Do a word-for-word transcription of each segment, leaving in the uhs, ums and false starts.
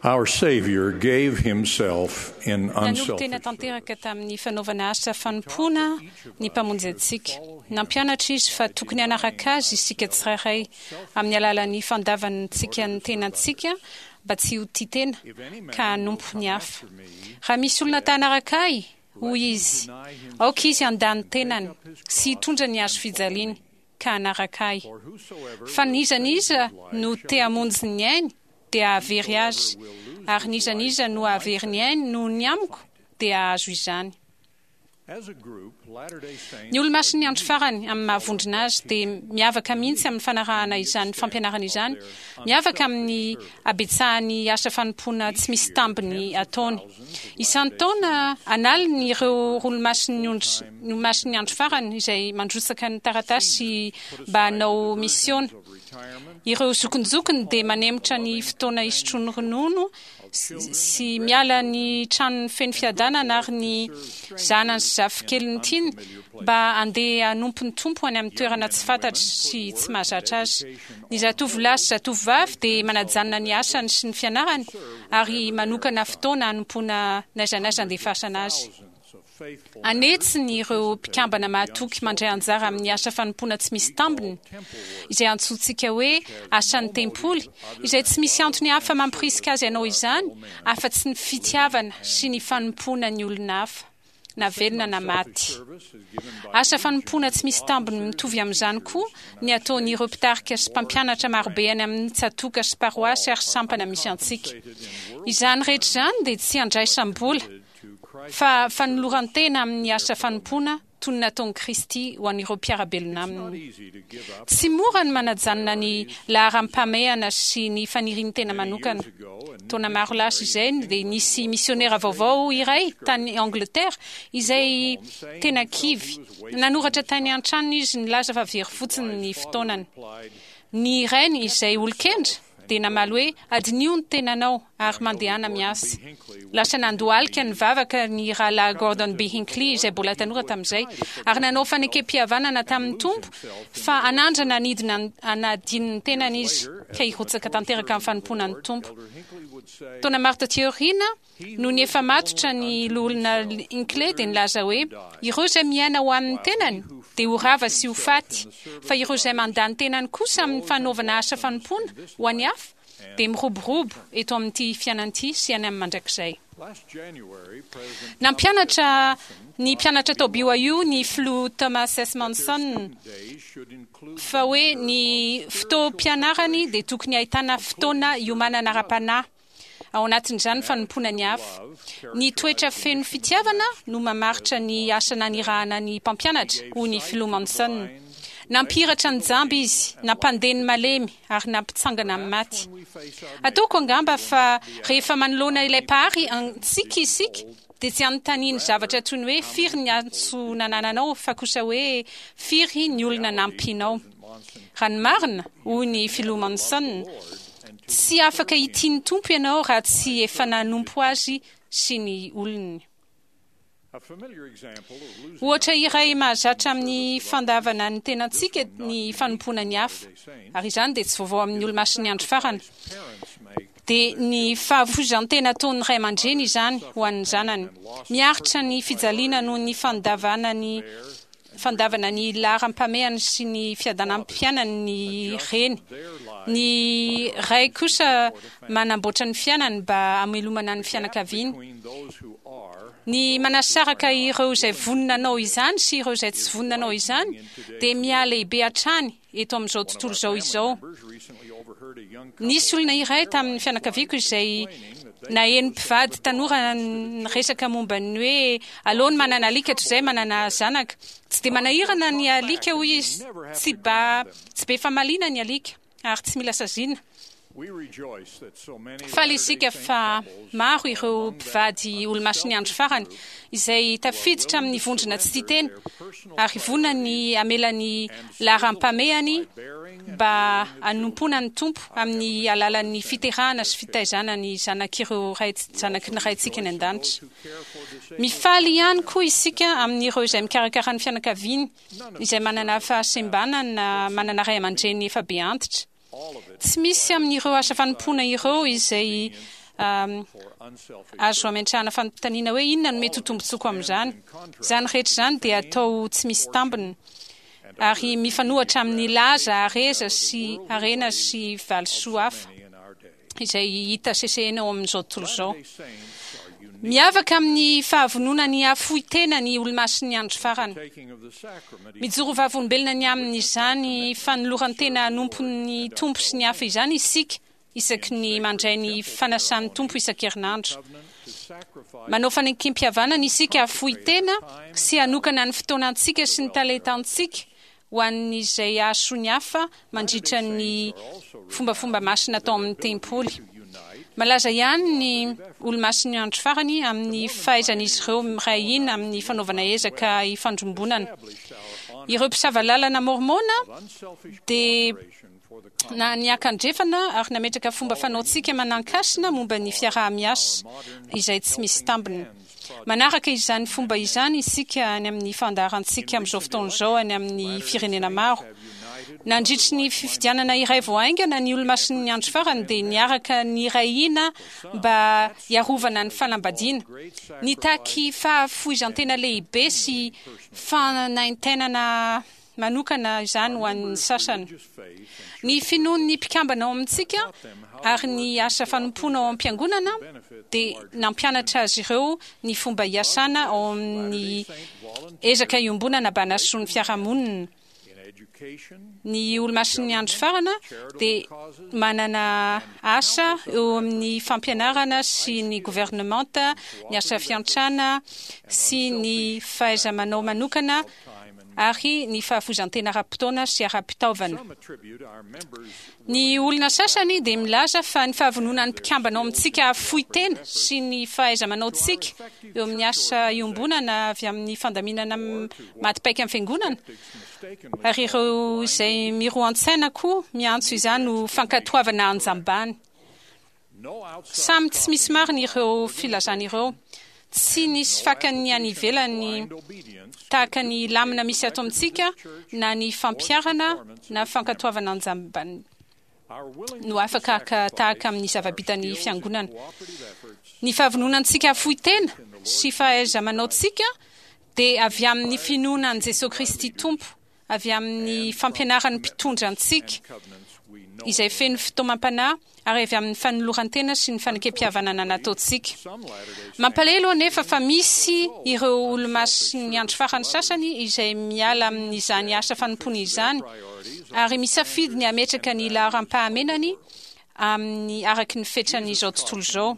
Our Savior gave himself in Nanolo-tena unselfish tanteraka tamin'ny fanaovana asa fanompoana ny Mpamonjy antsika. Nampianatra izy fa tokony hanaraka azy isika tsirairay amin'ny alalan'ny fandavantsika ny tenantsika mba tsy ho tia tena ka hanompo ny hafa. Raha misy olona ta hanaraka ahy, hoy izy, aoka izy handà ny tenany sy hitondra ny hazo fijaliany ka hanaraka ahy. Fa n'iza n'iza no te hamonjy ny ainy dia hahavery azy, ary n'iza n'iza no hahavery ny ainy noho ny amiko dia hahazo izany. As a group, Latter-day Saints Ny Olomasin'ny Andro Farany amin'ny mahavondrona azy dia miavaka mihitsy amin'ny fanarahana izany fampianarana izany, miavaka amin'ny habetsahan'ny asa fanompoana tsy misy tambiny ataony. Isan-taona an'aliny ireo Olomasin'ny ondry- Olomasin'ny Andro Farany izay mandrotsaka ny taratasy mba hanao misiona. Ireo zokinjokiny dia manemotra ny fotoana hisotroany ronono sy miala ny tranony feno fiadanana ary ny zanany sy zafikeliny tiany mba handeha hanompo ny Tompo any amin'ny toerana tsy fantatry sy tsy mahazatra azy. Ny zatovolahy sy zatovovavy dia manajanona ny asany sy ny fianarany ary manokana fotoana hanompoana n'aiza n'aiza andefasana azy. An'hetsiny ireo mpikambana mahatoky mandray anjara amin'ny asa fanompoana tsy misy tambiny, izay antsointsika hoe asan'ny tempoly, izay tsy misy antony hafa mampirisika azy hanao izany afa-tsy ny fitiavana sy ny fanompoana ny olona hafa, na velona na maty. Asa fanompoana tsy misy tambiny mitovy amin'izany koa ny ataon'ireo mpitarika sy mpampianatra marobe any amin'ny tsatòka sy paroasy ary sampana misy antsika. Izany rehetra izany dia tsy andraisam-bola, fa fanoloran-tena amin'ny asa fanompoana toy ny nataon'i Kristy ho an'ireo mpiara-belona aminy. Tsy mora ny manajanona ny laharam-pahamehana sy ny fanirian'ny tena manokana. Taona maro lasa izay dia nisy misionera vaovao iray tany Angleterre izay tena kivy. Nanoratra tany an-tranony izy nilaza fa very fotsiny ny fotoanany. Ny rainy izay olon-kendry dia namaly hoe adinio ny tenanao ary mandehana miasa. Lasa nandohalika nivavaka ny rahalahy Gordon B. Hinckley izay mbola tanora tamin'izay ary nanao fanekem-pihavanana tamin'ny Tompo fa hanandrana hanidina hanadino ny tenany izy ka hirotsaka tanteraka amin'ny fanompoana ny Tompo. Taona maro taty aoriana, nony efa matotra ny loholona Hinckley dia nilaza hoe ireo izay miaina ho an'ny tenany dia ho rava sy ho faty, fa ireo izay mandà ny tenany kosa amin'ny fanaovana asa fanompoana ho an'ny hafa dia miroborobo eto amin'ity fiainana ity sy any amin'ny mandrakizay. Last January, President Nampianatra ny mpianatra tao B Y U ny filoha Thomas S. Monson days should include fa hoe ny fotoam-pianarany dia tokony ahitana fotoana iomanana ara-panahy, ao anatin'izany fanompoana ny hafa. Ny toetra feno fitiavana no mamaritra ny asa nanirahana ny mpampianatra, hoy ny filoha Monson. Nampihiratra ny jamba izy, nampandeha ny malemy ary nampitsangana amin'ny maty. Ataoko angamba fa rehefa manoloana ilay Mpahary antsika isika dia tsy anontaniany zavatra toy ny hoe firy ny antso nanananao, fa kosa hoe firy ny olona nampinao. Raha ny marina, hoy ny filoha Monson, tsy afaka hitia ny Tompo ianao raha tsy efa nanompo azy sy ny olony. A familiar example of losing Ohatra iray mahazatra amin'ny fandavana ny tenantsika ny fanompoana ny hafa, ary izany dia tsy vaovao amin'ny Olomasin'ny Andro Farany, parents make dia ny fahafoizan-tena ataon'ny ray aman-dreny izany ho an'ny zanany. Miaritra ny fijaliana noho ny fandavana ny fandavana ny laharam-pahamehana sy ny fiadanam-piainany ny reny. Ny ray kosa manamboatra ny fiainany mba hamelomana ny fianakaviany. Between those who are Ny manasaraka ireo izay vonona hanao izany sy ireo izay tsy vonona hanao izany dia mihalehibe hatrany eto amin'izao tontolo izao izao. Members recently overheard a young Nisy olona iray tamin'ny fianakaviako izay naheno mpivady tanora niresaka momba ny hoe aleony manana alika toy izay manana zanaka. Tsy dia manahirana ny alika, hoy izy, tsy ba tsy be famaliana ny alika ary tsy mila saziana. We rejoice that so many Faly isika fa maro ireo mpivady Olomasin'ny Andro Farany izay tafiditra amin'ny vondrona tsy tia tena ary vonona ny hamela ny laharam-pahamehany mba hanompoana ny Tompo amin'ny alalan'ny fiterahana sy fitaizana ny zanak'ireo ray zanaky ny Raintsika any an-danitra. Mifaly ihany koa isika amin'ireo izay mikarakara ny fianakaviany izay manana fahasembanana na manana ray aman-dreny efa be antitra. Tsy misy amin'ireo asa fanompoana ireo izay Azo ametrahana fanontaniana hoe inona no mety ho tombontsoako amin'izany. Izany rehetra izany dia atao tsy misy tambiny ary mifanohitra amin'ny laza, hareza sy harena sy valisoa hafa izay hita sesehena ao amin'izao tontolo izao. Miavaka amin'ny fahavononany hahafoy tena ny olomasin'ny andro farany. Mijoro vavolombelona ny amin'izany fanoloran-tena hanompo ny Tompo sy ny hafa izany isika isaky ny mandray ny fanasan'ny Tompo isan-kerinandro. Manao fanekem-pihavanana isika hahafoy tena sy hanokana ny fotoanantsika sy ny talentantsika ho an'izay hahasoa ny hafa mandritra ny fombafomba masina atao amin'ny tempoly. Malaza ihany ny olomasin'ny andro farany amin'ny fahaizan'izy ireo miray hina amin'ny fanaovana ezaka ifandrombonana. Ireo mpisava lalana mormona dia na niakandrefana ary nametraka fomba fanaontsika manan-kasina momba ny fiaraha-miasa izay tsy misy tambiny. Manaraka izany fomba izany isika any amin'ny fandaharantsika amin'izao fotoana izao any amin'ny firenena maro. Nandritry ny fifidianana iray vao haingana, ny olomasin'ny andro farany dia niaraka niray hina mba hiarovana ny fanambadiana. Nitaky fahafoizan-tena lehibe sy fanaintainana manokana izany ho an'ny sasany. Ny finoan'ny mpikambana ao amintsika ary ny asa fanompoana ao am-piangonana dia nampianatra azy ireo ny fomba hiasana ao amin'ny ezaka iombonana mba hanasoa ny fiarahamonina. Ny olomasin'ny andro farana dia manana asa eo amin'ny fampianarana sy ny governemanta, ny asa fiantrana sy ny fahaiza-manao manokana ary ny fahafoizan-tena ara-potoana sy ara-pitaovana. Ny olona sasany dia milaza fa ny fahavononan'ny mpikambana ao amintsika hahafoy tena sy ny fahaiza-manaontsika eo amin'ny asa iombonana avy amin'ny fandaminana maty paika amin'ny fiangonana, ary ireo izay miroa an-tsaina koa miantso izany ho fankatoavana anjambany. Samy tsy misy marina ireo filazana ireo. Tsy nisy fakany any ivelany tahaka ny lamina misy ato amintsika na ny fampiharana na fankatoavana anjambany no afaka haka tahaka amin'ny zava-bitan'ny fiangonana. Ny fahavononantsika hahafoy tena sy fahaiza-manaontsika dia avy amin'ny finoana an'i Jesosy Kristy Tompo, avy amin'ny fampianaran'ny mpitondra antsika izay feno fitaomam-panahy ary avy amin'ny fanoloran-tena sy ny fanekem-pihavanana nataontsika. Mampalahelo anefa fa misy ireo olomasin'ny andro farany sasany izay miala amin'izany asa fanompoana izany ary misafidy ny hametraka ny laharam-pahamenany amin'ny araky ny fetran'izao tontolo izao.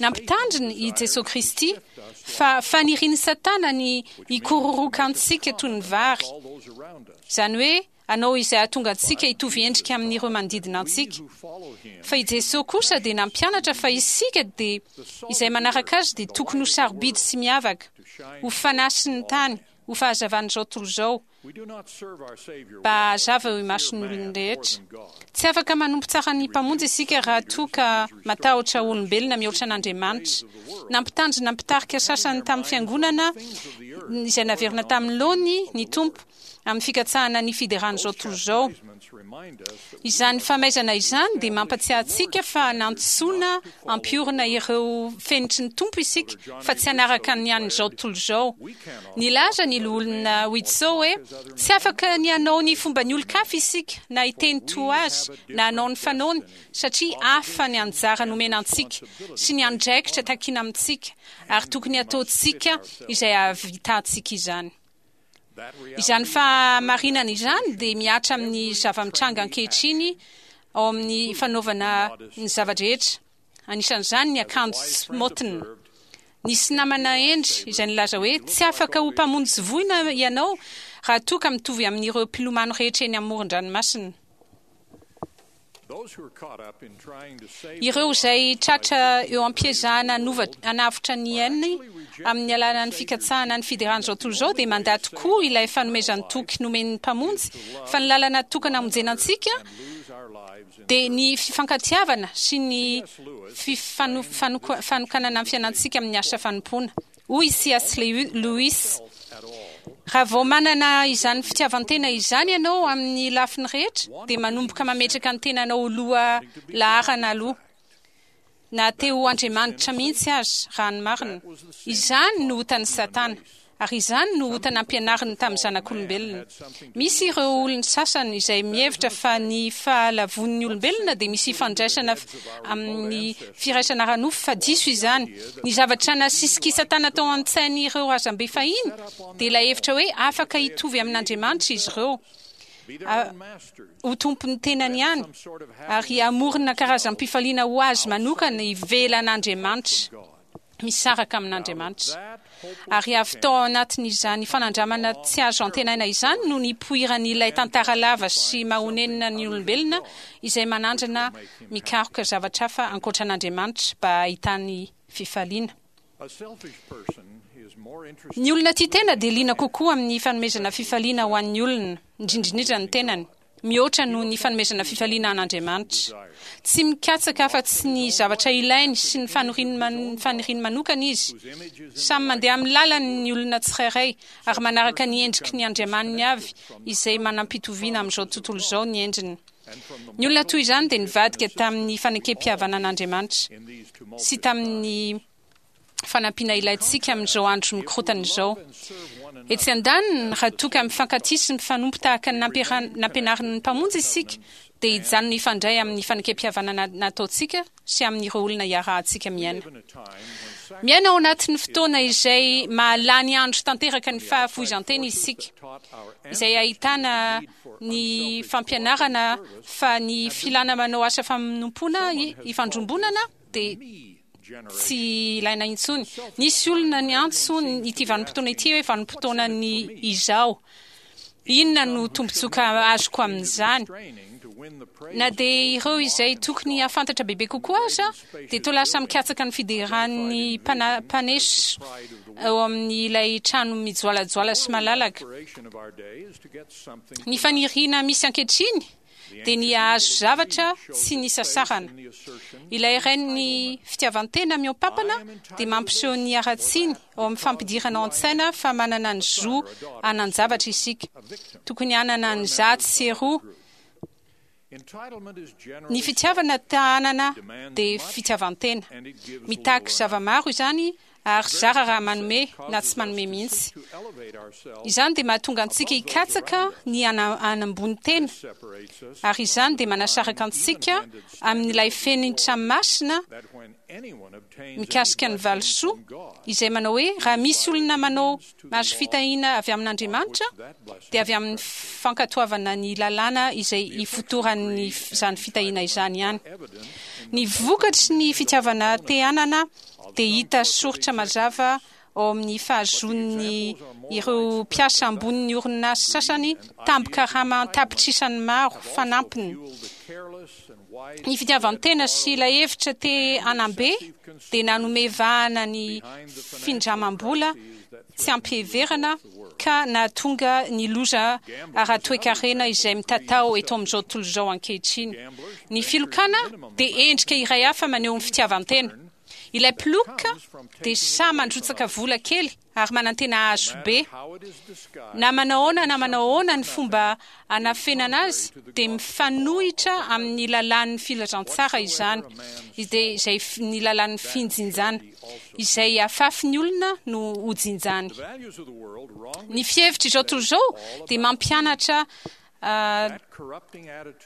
Nampitandrina i Jesosy Kristy fa fanirian'i Satana ny hikororoka antsika toy ny vary, izany hoe hanao izay hahatonga antsika hitovy endrika amin'ireo manodidina antsika. Fa i Jesosy kosa dia nampianatra fa isika dia izay manaraka azy dia tokony ho sarobidy sy miavaka, ho fanasin'ny tany, ho fahazavan'izao tontolo izao, mba hahazava eo imason'ny olona rehetra. Tsy afaka manompo tsara ny Mpamonjy isika raha toa ka matahotra olombelona mihoatra an'Andriamanitra. Nampitandrina mpitarika sasany tamin'ny fiangonana izay naverina tamin'ny laony ny Tompo amin'ny fikatsahana ny fideran'izao tontolo izao. Izany famaizana izany dia mampatsiahy antsika fa nantsoina hampiorina ireo fenitry ny Tompo isika fa tsy hanaraka ny an'izao tontolo izao. Nilaza ny loholona Widtsoe hoe tsy afaka ny hanao ny fomban'ny olon-kafa isika na hiteny toa azy na hanao ny fanaony satria hafa ny anjara nomena antsika sy ny andraikitra takiana amintsika ary tokony hataontsika izay hahavitantsika izany. Izany fahamarinana izany dia mihatra amin'ny zava-mitranga ankehitriny ao amin'ny fanaovana ny zava-drehetra, anisan'izany ny akanjo tsy maotina. Nisy namana hendry izay nilaza hoe tsy afaka ho mpamonjy voina ianao raha toa ka mitovy amin'ireo mpilomano rehetra eny amoron-dranomasina. Ireo izay tratra eo am-piezahana hanavotra ny ainy amin'ny alalan'ny fikatsahana ny fideran'izao tontolo izao dia mandà tokoa ilay fanomezan-toky nomen'ny Mpamonjy fa ny lalana tokana hamonjena antsika dia ny fifankatiavana sy ny fanokanana ny fiainantsika amin'ny asa fanompoana. Hoy i C S Lewis, raha vao manana izany fitiavan-tena izany ianao amin'ny lafiny rehetra dia manomboka mametraka ny tenanao ho loha laharana aloha. Na te ho Andriamanitra mihitsy aza, raha ny marina. Izany no otan'i Satana, ary izany no ota nampianariny tamin'ny zanak'olombelona. Misy ireo olona sasany izay mihevitra fa ny fahalavon'ny olombelona dia misy ifandraisana amin'ny firaisana ara-nofo, fa diso izany. Ny zavatra nasisik'i Satana tao an-tsain'ireo razambe fahiny dia ilay hevitra hoe afaka hitovy amin'Andriamanitra izy ireo, ho tompon'ny tenany ihany, ary hamorona karazam-pifaliana ho azy manokana ivelan'Andriamanitra, misaraka amin'Andriamanitra. Ary avy tao anatin'izany fanandramana tsy azo antenaina izany no nipoiran'ilay tantara lava sy mahonenina ny olombelona izay manandrana mikaroka zavatra hafa ankoatra an'Andriamanitra mba hahitany fifaliana. Ny olona tia tena dia liana kokoa amin'ny fanomezana fifaliana ho an'ny olona, indrindrindrindra ny tenany, mihoatra noho ny fanomezana fifaliana an'Andriamanitra. Tsy mikatsaka afa-tsy ny zavatra ilainy sy ny faniriany manokana izy. Samy mandeha amin'ny lalany ny olona tsirairay ary manaraka ny endriky ny andriamaniny avy izay manam-pitoviana amin'izao tontolo izao ny endriny. Ny olona toy izany dia nivadika tamin'ny fanekem-pihavanan'Andriamanitra sy tamin'ny fanampiana ilaintsika amin'izao andro mikorotana izao. Etsy andaniny, raha toa ka mifankatia sy mifanompo tahaka ny nampianarin'ny Mpamonjy isika, dia hijanona hifandray amin'ny fanekem-pihavanana nataontsika sy amin'ireo olona iarahantsika miaina. Miaina ao anatin'ny fotoana izay mahalany andro tanteraka ny fahafoizan-tena isika, izay ahitana ny fampianarana fa ny filana manao asa fanompoana ifandrombonana dia tsy ilaina intsony. Nisy olona niantso ity vanim-potoana ity hoe vanim-potoanan'ny izaho. Inona no tombontsoa azoko amin'izany? Na dia ireo izay tokony hahafantatra bebe kokoa aza dia toa lasa mikatsaka ny fideran'ny mpaneso eo amin'ilay trano mijoalajoala sy malalaka. Ny faniriana misy ankehitriny dia ny hahazo zavatra tsy nisasarana. Ilay rain'ny fitiavan-tena mihoa-pampana dia mampiseho ny haratsiany ao amin'ny fampidirana ao an-tsaina fa manana ny zo hanan-javatra isika. Tokony hanana ny zato sy roa. Ny fitiavana ta hanana dia fitiavan-tena. Mitaky zava-maro izany ary zara raha manome na tsy manome mihitsy. Izany dia mahatonga antsika hikatsaka ny hanambony tena, ary izany dia manasaraka antsika amin'ilay fenitra masina mikasika ny valisoa, izay manao hoe raha misy olona manao mahazo fitahiana avy amin'Andriamanitra dia avy amin'ny fankatoavana ny lalàna izay ifotoran'izany fitahiana izany ihany. Ny vokatry ny fitiavana te hanana dia hita soritra mazava ao amin'ny fahazoan'ny ireo mpiasa ambonin'ny orinasa sasany tambin-karama an-tapitrisany maro fanampiny. Ny fitiavan-tena sy ilay hevitra te hanambe dia nanome vahana ny findramam-bola tsy ampiheverana ka nahatonga ny loza ara-toekarena izay mitatao eto amin'izao tontolo izao ankehitriny. Ny filokana dia endrika iray hafa maneho ny fitiavan-tena. Ilay mpiloka dia sahy mandrotsaka vola kely ary manantena hahazo be. Na manao ahoana na manao ahoana ny fomba anafenana azy dia mifanohitra amin'ny lalàn'ny filazantsara izany, dia izay ny lalàn'ny finjinjana. Izay afafy ny olona no hojinjany. Ny fihevitra izao tontolo izao dia mampianatra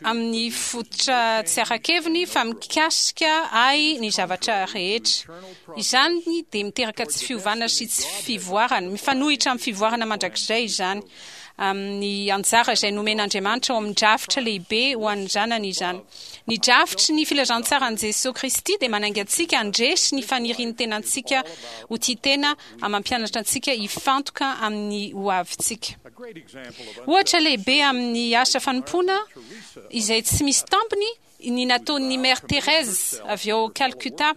amin'ny fototra tsy ara-keviny fa mikasika ahy ny zavatra rehetra. Izany dia miteraka tsy fiovana sy tsy fivoarana. Mifanohitra amin'ny fivoarana mandrakizay izany, amin'ny anjara izay nomen'Andriamanitra ao amin'ny drafitra lehibe ho an'ny zanany izany. Ny drafitry ny filazantsaran'i Jesoa Kristy dia manainga antsika handresy ny fanirian'ny tenantsika ho tia tena ary mampianatra antsika hifantoka amin'ny hoavintsika. Ohatra lehibe amin'ny asa fanompoana izay tsy misy tambiny ny nataon'ny Mère Thérèse avy ao Calcutta,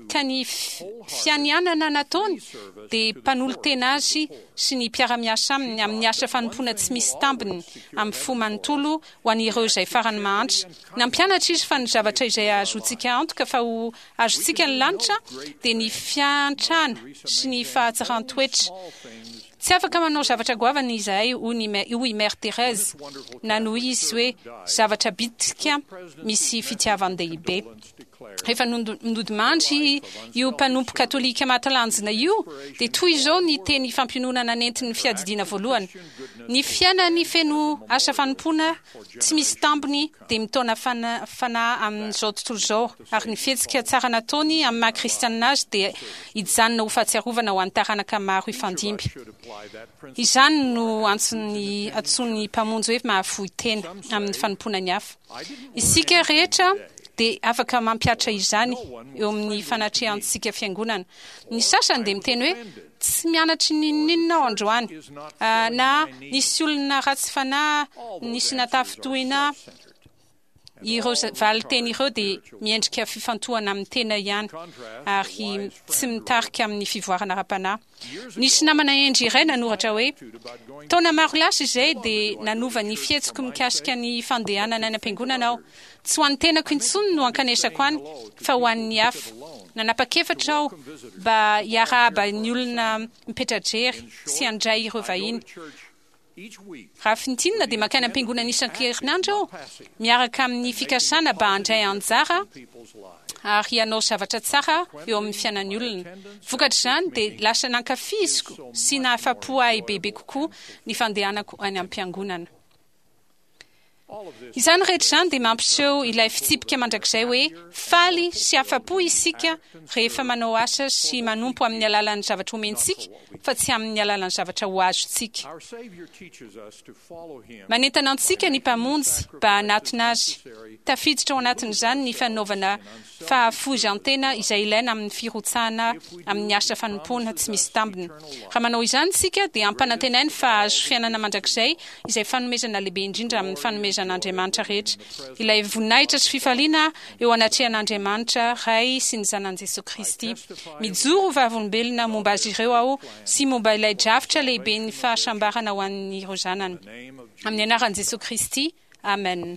ka ny fianianana nataony dia mpanolo-tena azy sy ny mpiara-miasa aminy amin'ny asa fanompoana tsy misy tambiny amin'ny fo manontolo ho an'ireo izay farany mahantra. Nampianatra izy fa ny zavatra izay ahazoantsika antoka fa ho azontsika ny lanitra dia ny fiantrana sy ny fahatsaran-toetra. Tsy afaka manao zavatra goavana izahay, hoy i Mère Thérèse, nanohy izy hoe zavatra bitika misy fitiavan-dehibe. Rehefa nodimandry io mpanompo katolika mahatalanjona io, dia toy izao ny teny fampiononana nentin'ny fiadidiana voalohany: "Ny fiainany feno asa fanompoana tsy misy tambiny dia mitaona fanahy amin'izao tontolo izao, ary ny fihetsika tsara nataony amin'ny maha kristianina azy dia hijanona ho fahatsiarovana ho an'ny taranaka maro hifandimby." Izany no antson'ny antsoin'ny Mpamonjy hoe mahafoy tena amin'ny fanompoana ny hafa. Isika rehetra dia afaka mampihatra izany eo amin'ny fanatrehantsika fiangonana. Ny sasany dia miteny hoe tsy mianatry n'inon'inona aho androany, na nisy olona ratsy fanahy nisy natafintohina. Ireo valin-teny ireo dia miendrika fifantohana amin'ny tena ihany ary tsy mitarika amin'ny fivoarana ara-panahy. Nisy namana hendry iray nanoratra hoe: "Taona maro lasa izay dia nanova ny fihetsiko mikasika ny fandehanana any am-piangonana aho. Tsy ho an'ny tenako intsony no ankanesako any, fa ho an'ny hafa. Nanapa-kevitra aho mba hiarahaba ny olona mipetra-drery sy handray ireo vahiny. Raha fintinina dia mankany am-piangonana isan-kerinandro aho, miaraka amin'ny fikasana mba handray anjara ary hanao zavatra tsara eo amin'ny fiainan'ny olona. Vokatr'izany dia lasa nankafiziko sy nahafa-po ahy bebe kokoa ny fandehanako any am-piangonana." Izany rehetra izany dia mampiseho ilay fitsipika mandrakizay hoe faly sy afa-po isika rehefa manao asa sy manompo amin'ny alalan'ny zavatra omentsika, fa tsy amin'ny alalan'ny zavatra ho azontsika. Manentana antsika ny Mpamonjy mba hanatona azy. Tafiditra ao anatin'izany ny fanaovana fahafoizan-tena izay ilaina amin'ny firotsahana amin'ny asa fanompoana tsy misy tambiny. Raha manao izany isika dia ampanantenainy fa hahazo fiainana mandrakizay, izay fanomezana lehibe indrindra amin'ny fanomezan'Andriamanitra rehetra, ilay voninahitra sy fifaliana eo anatrehan'Andriamanitra Ray sy ny Zanany Jesosy Kristy. Mijoro ho vavolombelona momba azy ireo aho sy momba ilay drafitra lehibe ny fahasambarana ho an'ireo zanany. Amin'ny anaran'i Jesosy Kristy, amen.